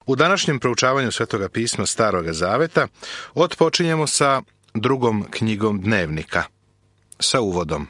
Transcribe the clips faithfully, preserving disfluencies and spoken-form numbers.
U današnjem proučavanju Svetoga pisma Staroga Zaveta otpočinjemo sa drugom knjigom Dnevnika, sa uvodom.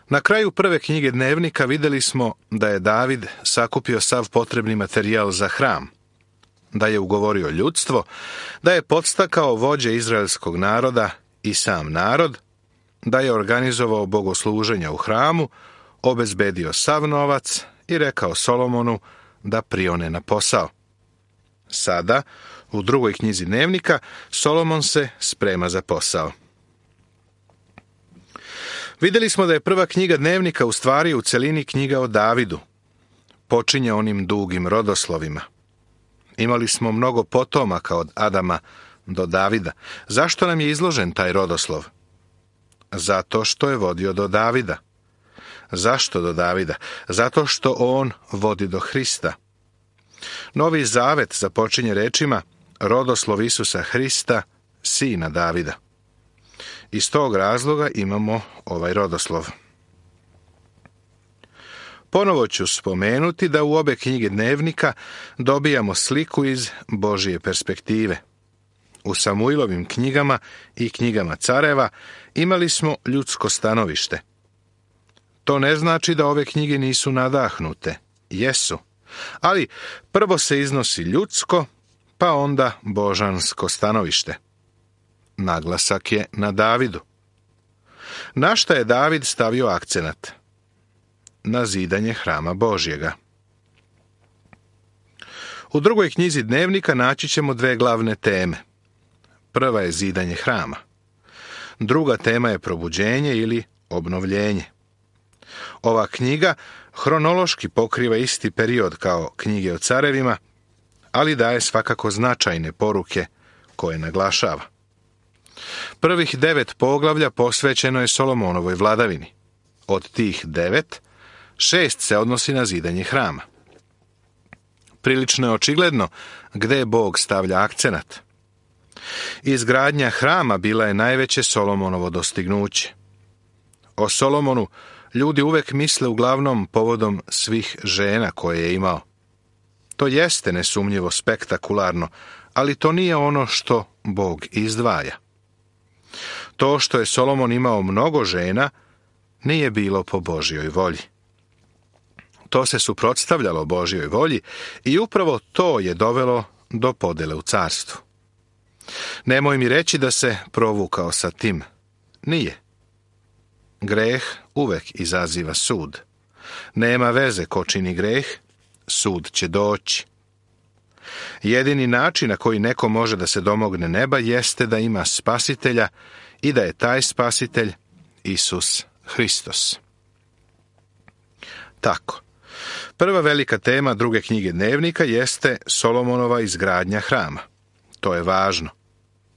Na kraju prve knjige Dnevnika vidjeli smo da je David sakupio sav potrebni materijal za hram, da je ugovorio ljudstvo, da je podstakao vođe izraelskog naroda i sam narod, da je organizovao bogosluženja u hramu, obezbedio sav novac i rekao Solomonu da prione na posao. Sada, u drugoj knjizi Dnevnika, Solomon se sprema za posao. Vidjeli smo da je prva knjiga Dnevnika u stvari u celini knjiga o Davidu. Počinje onim dugim rodoslovima. Imali smo mnogo potomaka od Adama do Davida. Zašto nam je izložen taj rodoslov? Zato što je vodio do Davida. Zašto do Davida? Zato što on vodi do Hrista. Novi Zavet započinje rečima rodoslov Isusa Hrista, sina Davida. Iz tog razloga imamo ovaj rodoslov. Ponovo ću spomenuti da u obe knjige Dnevnika dobijamo sliku iz Božje perspektive. U Samuilovim knjigama i knjigama careva imali smo ljudsko stanovište. To ne znači da ove knjige nisu nadahnute. Jesu. Ali prvo se iznosi ljudsko, pa onda božansko stanovište. Naglasak je na Davidu. Na šta je David stavio akcenat? Na zidanje hrama Božjega. U drugoj knjizi Dnevnika naći ćemo dve glavne teme. Prva je zidanje hrama. Druga tema je probuđenje ili obnovljenje. Ova knjiga hronološki pokriva isti period kao knjige o carevima, ali daje svakako značajne poruke koje naglašava. Prvih devet poglavlja posvećeno je Solomonovoj vladavini. Od tih devet, šest se odnosi na zidanje hrama. Prilično je očigledno gde Bog stavlja akcenat. Izgradnja hrama bila je najveće Solomonovo dostignuće. O Solomonu ljudi uvek misle uglavnom povodom svih žena koje je imao. To jeste nesumnjivo spektakularno, ali to nije ono što Bog izdvaja. To što je Solomon imao mnogo žena nije bilo po Božjoj volji. To se suprotstavljalo Božjoj volji i upravo to je dovelo do podele u carstvu. Nemoj mi reći da se provukao sa tim. Nije. Greh uvek izaziva sud. Nema veze ko čini greh, sud će doći. Jedini način na koji neko može da se domogne neba jeste da ima spasitelja i da je taj spasitelj Isus Hristos. Tako. Prva velika tema druge knjige Dnevnika jeste Solomonova izgradnja hrama. To je važno.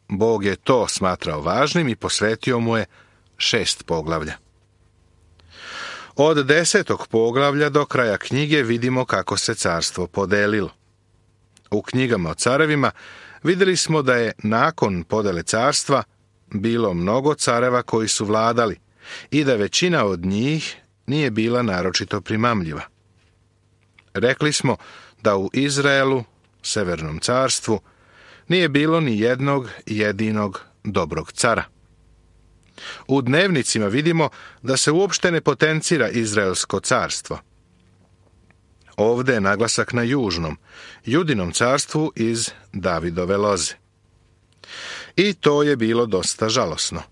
Bog je to smatrao važnim i posvetio mu je šest poglavlja. Od desetog poglavlja do kraja knjige vidimo kako se carstvo podelilo. U knjigama o carevima vidjeli smo da je nakon podele carstva bilo mnogo careva koji su vladali i da većina od njih nije bila naročito primamljiva. Rekli smo da u Izraelu, Severnom carstvu, nije bilo ni jednog jedinog dobrog cara. U Dnevnicima vidimo da se uopšte ne potencira Izraelsko carstvo. Ovdje je naglasak na južnom, Judinom carstvu iz Davidove loze. I to je bilo dosta žalosno.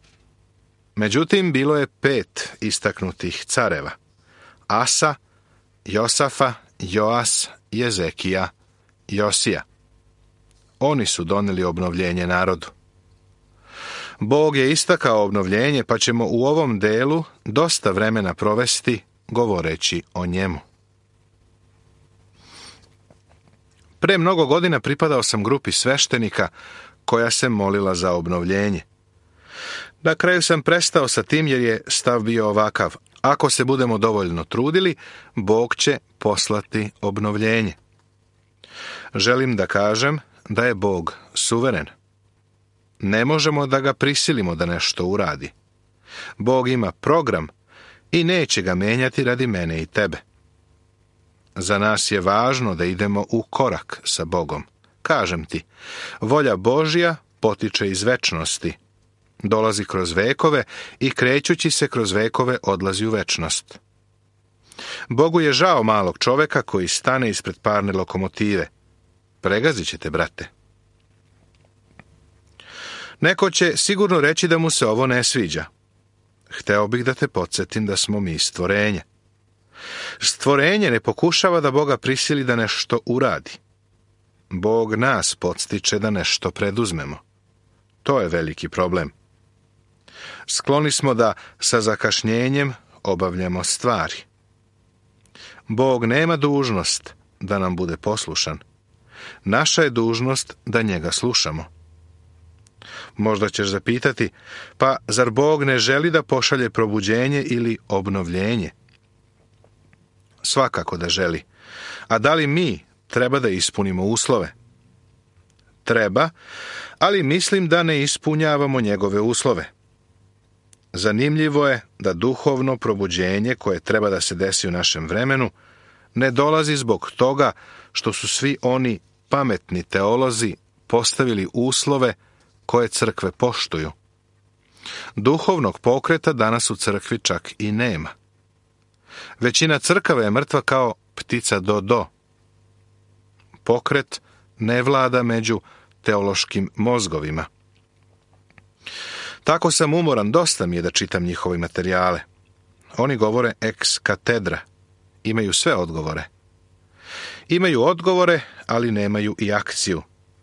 Međutim, bilo je pet istaknutih careva. Asa, Josafa, Joas, Jezekija, Josija. Oni su doneli obnovljenje narodu. Bog je istakao obnovljenje, pa ćemo u ovom delu dosta vremena provesti govoreći o njemu. Pre mnogo godina pripadao sam grupi sveštenika koja se molila za obnovljenje. Na kraju sam prestao sa tim jer je stav bio ovakav. Ako se budemo dovoljno trudili, Bog će poslati obnovljenje. Želim da kažem da je Bog suveren. Ne možemo da ga prisilimo da nešto uradi. Bog ima program i neće ga menjati radi mene i tebe. Za nas je važno da idemo u korak sa Bogom. Kažem ti, volja Božja potiče iz večnosti, dolazi kroz vekove i krećući se kroz vekove odlazi u večnost. Bogu je žao malog čoveka koji stane ispred parne lokomotive. Pregazit ćete, brate. Neko će sigurno reći da mu se ovo ne sviđa. Hteo bih da te podsjetim da smo mi stvorenje. Stvorenje ne pokušava da Boga prisili da nešto uradi. Bog nas podstiče da nešto preduzmemo. To je veliki problem. Skloni smo da sa zakašnjenjem obavljamo stvari. Bog nema dužnost da nam bude poslušan. Naša je dužnost da njega slušamo. Možda ćeš zapitati, pa zar Bog ne želi da pošalje probuđenje ili obnovljenje? Svakako da želi. A da li mi treba da ispunimo uslove? Treba, ali mislim da ne ispunjavamo njegove uslove. Zanimljivo je da duhovno probuđenje koje treba da se desi u našem vremenu ne dolazi zbog toga što su svi oni pametni teolozi postavili uslove koje crkve poštuju. Duhovnog pokreta danas u crkvi čak i nema. Većina crkava je mrtva kao ptica do-do. Pokret ne vlada među teološkim mozgovima. Tako sam umoran, dosta mi je da čitam njihove materijale. Oni govore ex katedra. Imaju sve odgovore. Imaju odgovore, ali nemaju i akciju.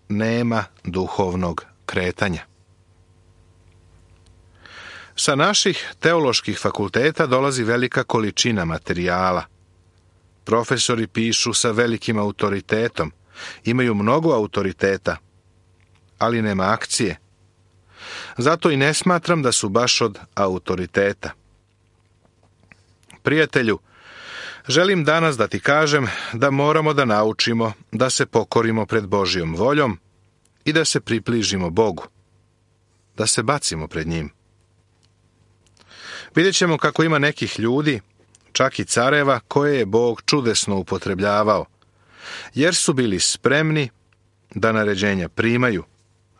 Nema duhovnog kretanja. Sa naših teoloških fakulteta dolazi velika količina materijala. Profesori pišu sa velikim autoritetom. Imaju mnogo autoriteta, ali nema akcije. Zato i ne smatram da su baš od autoriteta. Prijatelju, želim danas da ti kažem da moramo da naučimo da se pokorimo pred Božjom voljom i da se približimo Bogu, da se bacimo pred njim. Vidjet ćemo kako ima nekih ljudi, čak i careva, koje je Bog čudesno upotrebljavao, jer su bili spremni da naređenja primaju,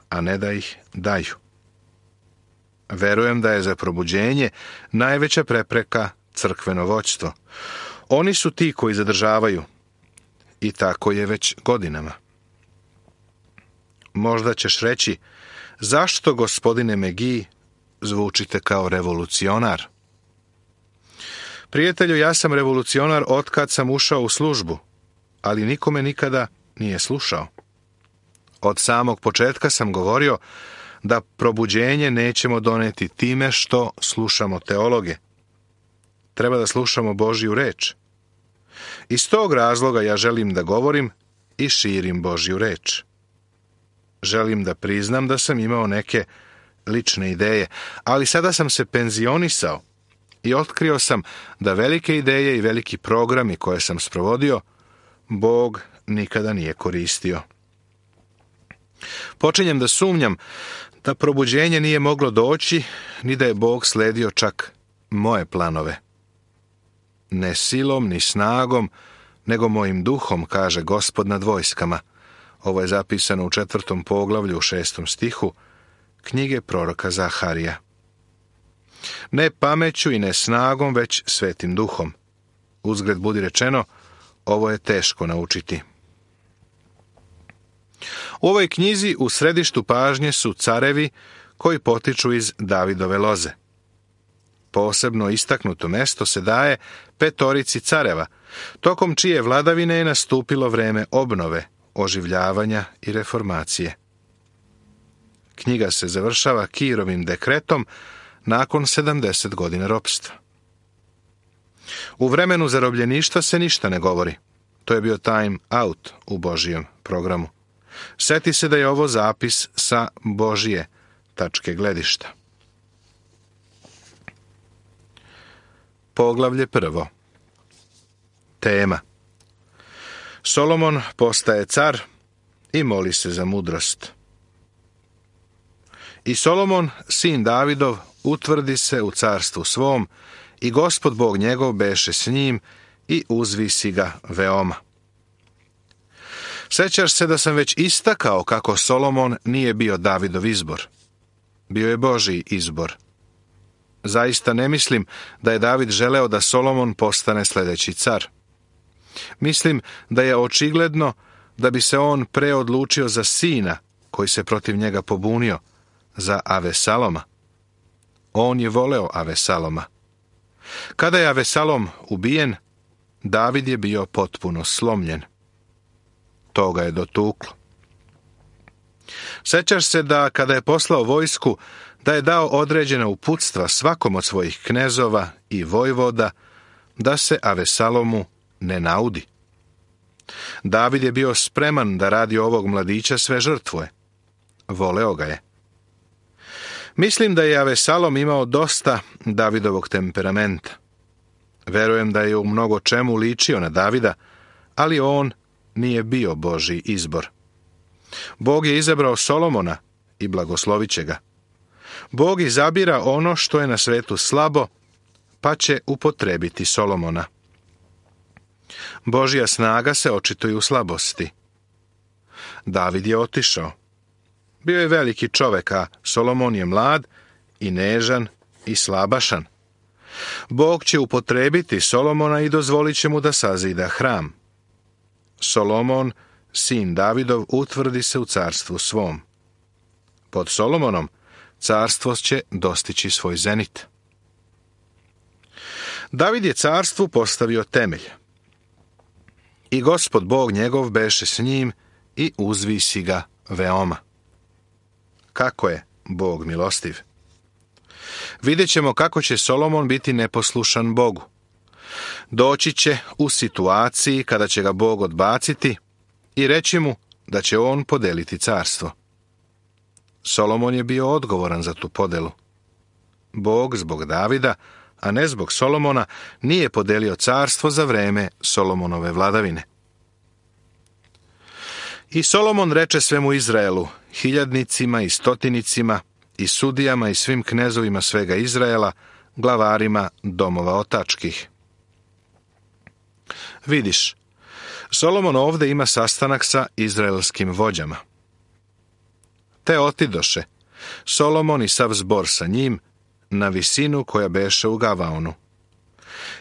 a ne da ih daju. Verujem da je za probuđenje najveća prepreka crkveno vođstvo. Oni su ti koji zadržavaju. I tako je već godinama. Možda ćeš reći, zašto, gospodine Megi, zvučite kao revolucionar? Prijatelju, ja sam revolucionar otkad sam ušao u službu, ali nikome nikada nije slušao. Od samog početka sam govorio da probuđenje nećemo doneti time što slušamo teologe. Treba da slušamo Božju reč. Iz tog razloga ja želim da govorim i širim Božju reč. Želim da priznam da sam imao neke lične ideje, ali sada sam se penzionisao i otkrio sam da velike ideje i veliki programi koje sam sprovodio, Bog nikada nije koristio. Počinjem da sumnjam da probuđenje nije moglo doći, ni da je Bog sledio čak moje planove. Ne silom, ni snagom, nego mojim duhom, kaže Gospod nad vojskama. Ovo je zapisano u četvrtom poglavlju u šestom stihu knjige proroka Zaharija. Ne pameću i ne snagom, već svetim duhom. Uzgred budi rečeno, ovo je teško naučiti. U ovoj knjizi u središtu pažnje su carevi koji potiču iz Davidove loze. Posebno istaknuto mesto se daje petorici careva, tokom čije vladavine je nastupilo vreme obnove, oživljavanja i reformacije. Knjiga se završava Kirovim dekretom nakon sedamdeset godina ropstva. U vremenu zarobljeništva se ništa ne govori. To je bio time out u Božijem programu. Seti se da je ovo zapis sa Božije tačke gledišta. Poglavlje prvo. Tema. Solomon postaje car i moli se za mudrost. I Solomon, sin Davidov, utvrdi se u carstvu svom i Gospod Bog njegov beše s njim i uzvisi ga veoma. Sjećaš se da sam već istakao kako Solomon nije bio Davidov izbor. Bio je Božji izbor. Zaista ne mislim da je David želeo da Solomon postane sljedeći car. Mislim da je očigledno da bi se on preodlučio za sina koji se protiv njega pobunio, za Avesaloma. On je voleo Avesaloma. Kada je Avesalom ubijen, David je bio potpuno slomljen. To ga je dotuklo. Sjećaš se da kada je poslao vojsku, da je dao određena uputstva svakom od svojih knezova i vojvoda da se Avesalomu ne naudi. David je bio spreman da radi ovog mladića sve žrtvuje. Voleo ga je. Mislim da je Avesalom imao dosta Davidovog temperamenta. Verujem da je u mnogo čemu ličio na Davida, ali on nije bio Božji izbor. Bog je izabrao Solomona i blagoslovit će ga. Bog izabira ono što je na svetu slabo, pa će upotrebiti Solomona. Božja snaga se očituje u slabosti. David je otišao. Bio je veliki čovek, a Solomon je mlad i nežan i slabašan. Bog će upotrebiti Solomona i dozvolit će mu da sazida hram. Solomon, sin Davidov, utvrdi se u carstvu svom. Pod Solomonom carstvo će dostići svoj zenit. David je carstvu postavio temelj. I Gospod Bog njegov beše s njim i uzvisi ga veoma. Kako je Bog milostiv? Vidjet ćemo kako će Solomon biti neposlušan Bogu. Doći će u situaciji kada će ga Bog odbaciti i reći mu da će on podeliti carstvo. Solomon je bio odgovoran za tu podelu. Bog zbog Davida, a ne zbog Solomona, nije podelio carstvo za vreme Solomonove vladavine. I Solomon reče svemu Izraelu, hiljadnicima i stotinicima, i sudijama i svim knezovima svega Izraela, glavarima domova otačkih. Vidiš, Solomon ovdje ima sastanak sa izraelskim vođama. Te otidoše, Solomon i sav zbor sa njim, na visinu koja beše u Gavaonu.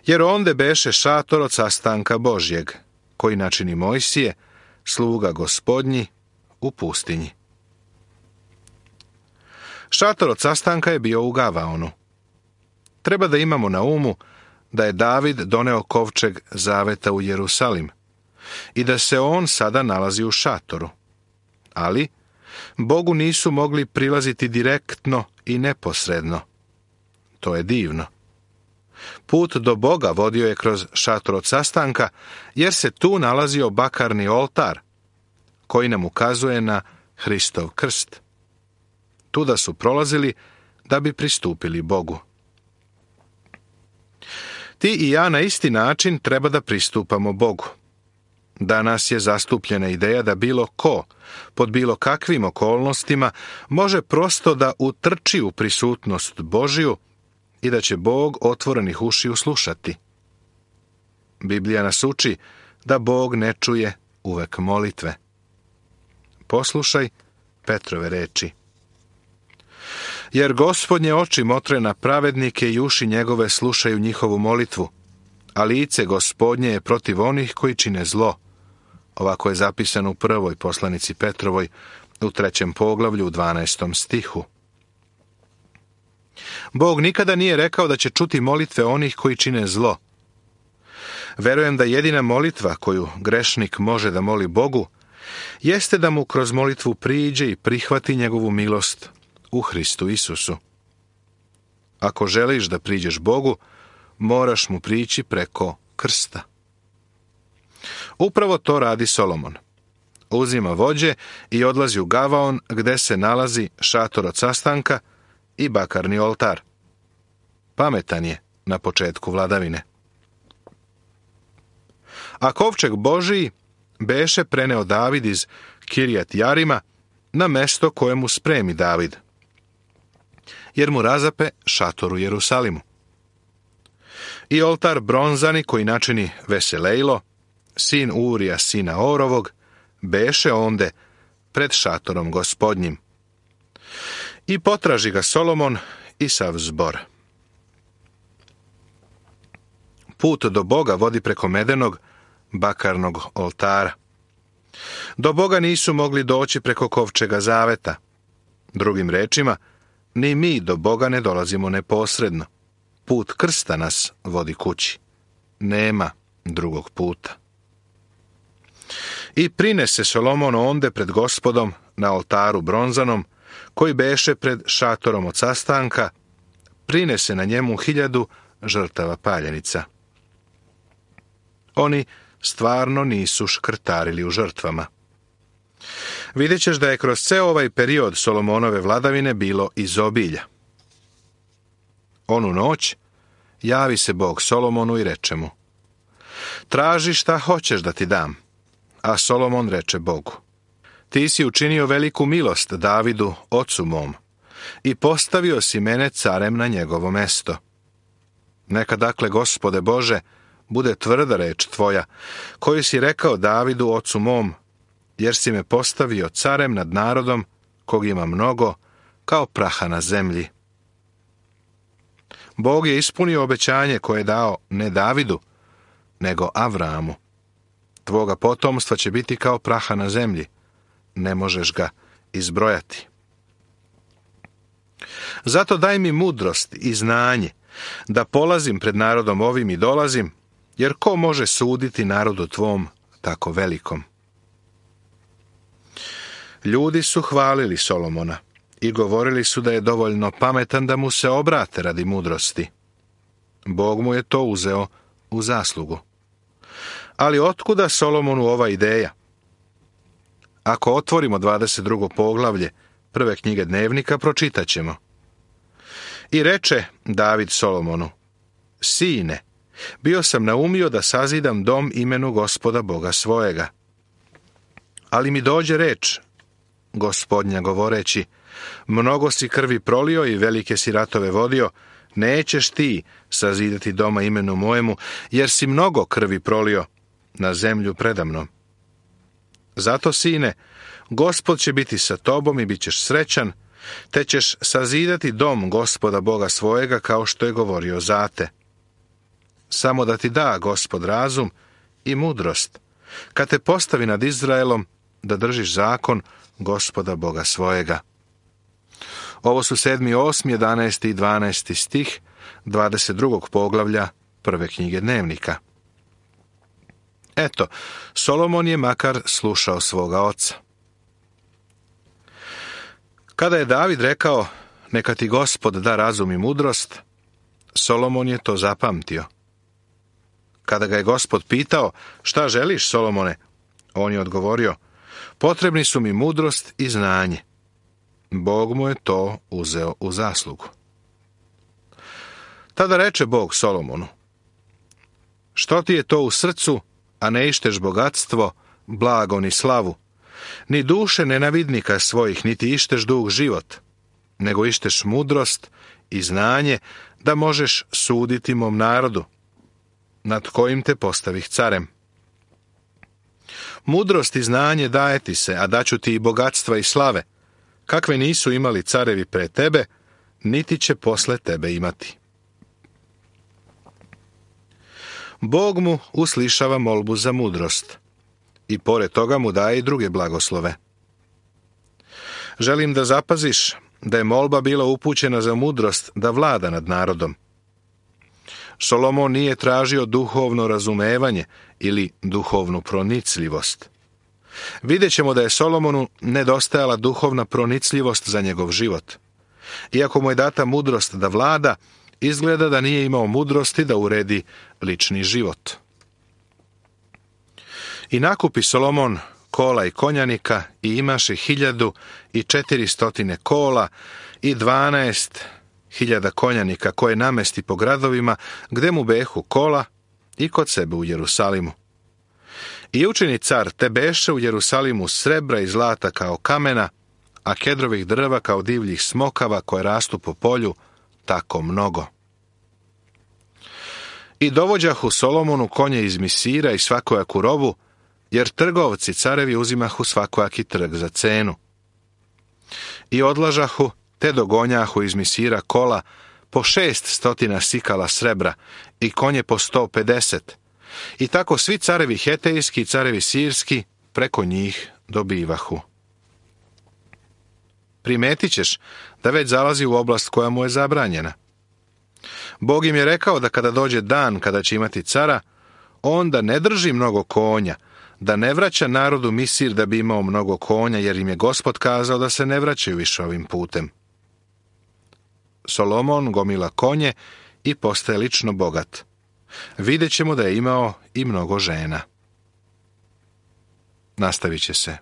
Jer onde beše šator od sastanka Božjeg, koji načini Mojsije, sluga Gospodnji, u pustinji. Šator od sastanka je bio u Gavaonu. Treba da imamo na umu da je David doneo kovčeg zaveta u Jerusalim i da se on sada nalazi u šatoru. Ali Bogu nisu mogli prilaziti direktno i neposredno. To je divno. Put do Boga vodio je kroz šator od sastanka, jer se tu nalazio bakarni oltar, koji nam ukazuje na Hristov krst. Tuda su prolazili da bi pristupili Bogu. Ti i ja na isti način treba da pristupamo Bogu. Danas je zastupljena ideja da bilo ko, pod bilo kakvim okolnostima, može prosto da utrči u prisutnost Božiju i da će Bog otvorenih ušiju slušati. Biblija nas uči da Bog ne čuje uvek molitve. Poslušaj Petrove reči. Jer Gospodnje oči motre na pravednike i uši njegove slušaju njihovu molitvu, a lice Gospodnje je protiv onih koji čine zlo. Ovako je zapisano u prvoj poslanici Petrovoj, u trećem poglavlju, u dvanaestom stihu. Bog nikada nije rekao da će čuti molitve onih koji čine zlo. Verujem da jedina molitva koju grešnik može da moli Bogu, jeste da mu kroz molitvu priđe i prihvati njegovu milost u Hristu Isusu. Ako želiš da priđeš Bogu, moraš mu prići preko krsta. Upravo to radi Solomon. Uzima vođe i odlazi u Gavaon, gde se nalazi šator od sastanka i bakarni oltar. Pametan je na početku vladavine. A kovčeg Božiji beše preneo David iz Kirjat Jarima na mesto koje mu spremi David, jer mu razape šator u Jerusalimu. I oltar bronzani koji načini Veselejlo, sin Urija sina Orovog, beše onde pred šatorom gospodnjim. I potraži ga Solomon i sav zbor. Put do Boga vodi preko medenog, bakarnog oltara. Do Boga nisu mogli doći preko kovčega zaveta. Drugim rečima, ni mi do Boga ne dolazimo neposredno. Put krsta nas vodi kući. Nema drugog puta. I prinese Solomon onde pred gospodom na oltaru bronzanom, koji beše pred šatorom od sastanka, prinese na njemu hiljadu žrtava paljenica. Oni stvarno nisu škrtarili u žrtvama. Vidjet ćeš da je kroz ceo ovaj period Solomonove vladavine bilo izobilja. Onu noć javi se Bog Solomonu i reče mu: traži šta hoćeš da ti dam. A Solomon reče Bogu: ti si učinio veliku milost Davidu, ocu mom, i postavio si mene carem na njegovo mesto. Neka dakle, Gospode Bože, bude tvrda reč tvoja, koju si rekao Davidu, ocu mom, jer si me postavio carem nad narodom, kog ima mnogo, kao praha na zemlji. Bog je ispunio obećanje koje je dao ne Davidu, nego Avramu. Tvoga potomstva će biti kao praha na zemlji, ne možeš ga izbrojati. Zato daj mi mudrost i znanje, da polazim pred narodom ovim i dolazim, jer ko može suditi narodu tvom tako velikom? Ljudi su hvalili Solomona i govorili su da je dovoljno pametan da mu se obrate radi mudrosti. Bog mu je to uzeo u zaslugu. Ali otkuda Solomonu ova ideja? Ako otvorimo dvadeset drugo poglavlje prve knjige Dnevnika, pročitat ćemo. I reče David Solomonu: sine, bio sam naumio da sazidam dom imenu Gospoda Boga svojega. Ali mi dođe reč Gospodnja govoreći: mnogo si krvi prolio i velike si ratove vodio, nećeš ti sazidati doma imenu mojemu, jer si mnogo krvi prolio na zemlju predamnom. Zato, sine, Gospod će biti sa tobom i bit ćeš srećan, te ćeš sazidati dom Gospoda Boga svojega kao što je govorio za te. Samo da ti da Gospod razum i mudrost, kad te postavi nad Izraelom, da držiš zakon Gospoda Boga svojega. Ovo su sedmi, osmi, jedanaesti i dvanaesti stih dvadeset drugog poglavlja prve knjige Dnevnika. Eto, Solomon je makar slušao svoga oca. Kada je David rekao: neka ti Gospod da razum i mudrost, Solomon je to zapamtio. Kada ga je Gospod pitao: šta želiš, Solomone? On je odgovorio: potrebni su mi mudrost i znanje. Bog mu je to uzeo u zaslugu. Tada reče Bog Solomonu: što ti je to u srcu, a ne išteš bogatstvo, blago ni slavu, ni duše nenavidnika svojih, niti išteš dug život, nego išteš mudrost i znanje, da možeš suditi mom narodu, nad kojim te postavih carem. Mudrost i znanje daje ti se, a daću ti i bogatstva i slave, kakve nisu imali carevi pre tebe, niti će posle tebe imati. Bog mu uslišava molbu za mudrost i pored toga mu daje i druge blagoslove. Želim da zapaziš da je molba bila upućena za mudrost da vlada nad narodom. Solomon nije tražio duhovno razumevanje ili duhovnu pronicljivost. Vidjet ćemo da je Solomonu nedostajala duhovna pronicljivost za njegov život. Iako mu je data mudrost da vlada, izgleda da nije imao mudrosti da uredi lični život. I nakupi Solomon kola i konjanika i imaše hiljadu i četiristotine kola i dvanaest hiljada konjanika koje namesti po gradovima gde mu behu kola i kod sebe u Jerusalimu. I učini car te beše u Jerusalimu srebra i zlata kao kamena, a kedrovih drva kao divljih smokava koje rastu po polju, tako mnogo. I dovođahu Solomonu konje iz Misira i svakojaku robu, jer trgovci carevi uzimahu svakojaki trg za cenu. I odlažahu, te dogonjahu iz Misira kola po šest stotina sikala srebra i konje po sto pedeset. I tako svi carevi hetejski i carevi sirski preko njih dobivahu. Primetit ćeš da već zalazi u oblast koja mu je zabranjena. Bog im je rekao da kada dođe dan kada će imati cara, on da ne drži mnogo konja, da ne vraća narodu Misir da bi imao mnogo konja, jer im je Gospod kazao da se ne vraćaju više ovim putem. Solomon gomila konje i postaje lično bogat. Vidjet ćemo da je imao i mnogo žena. Nastavit će se.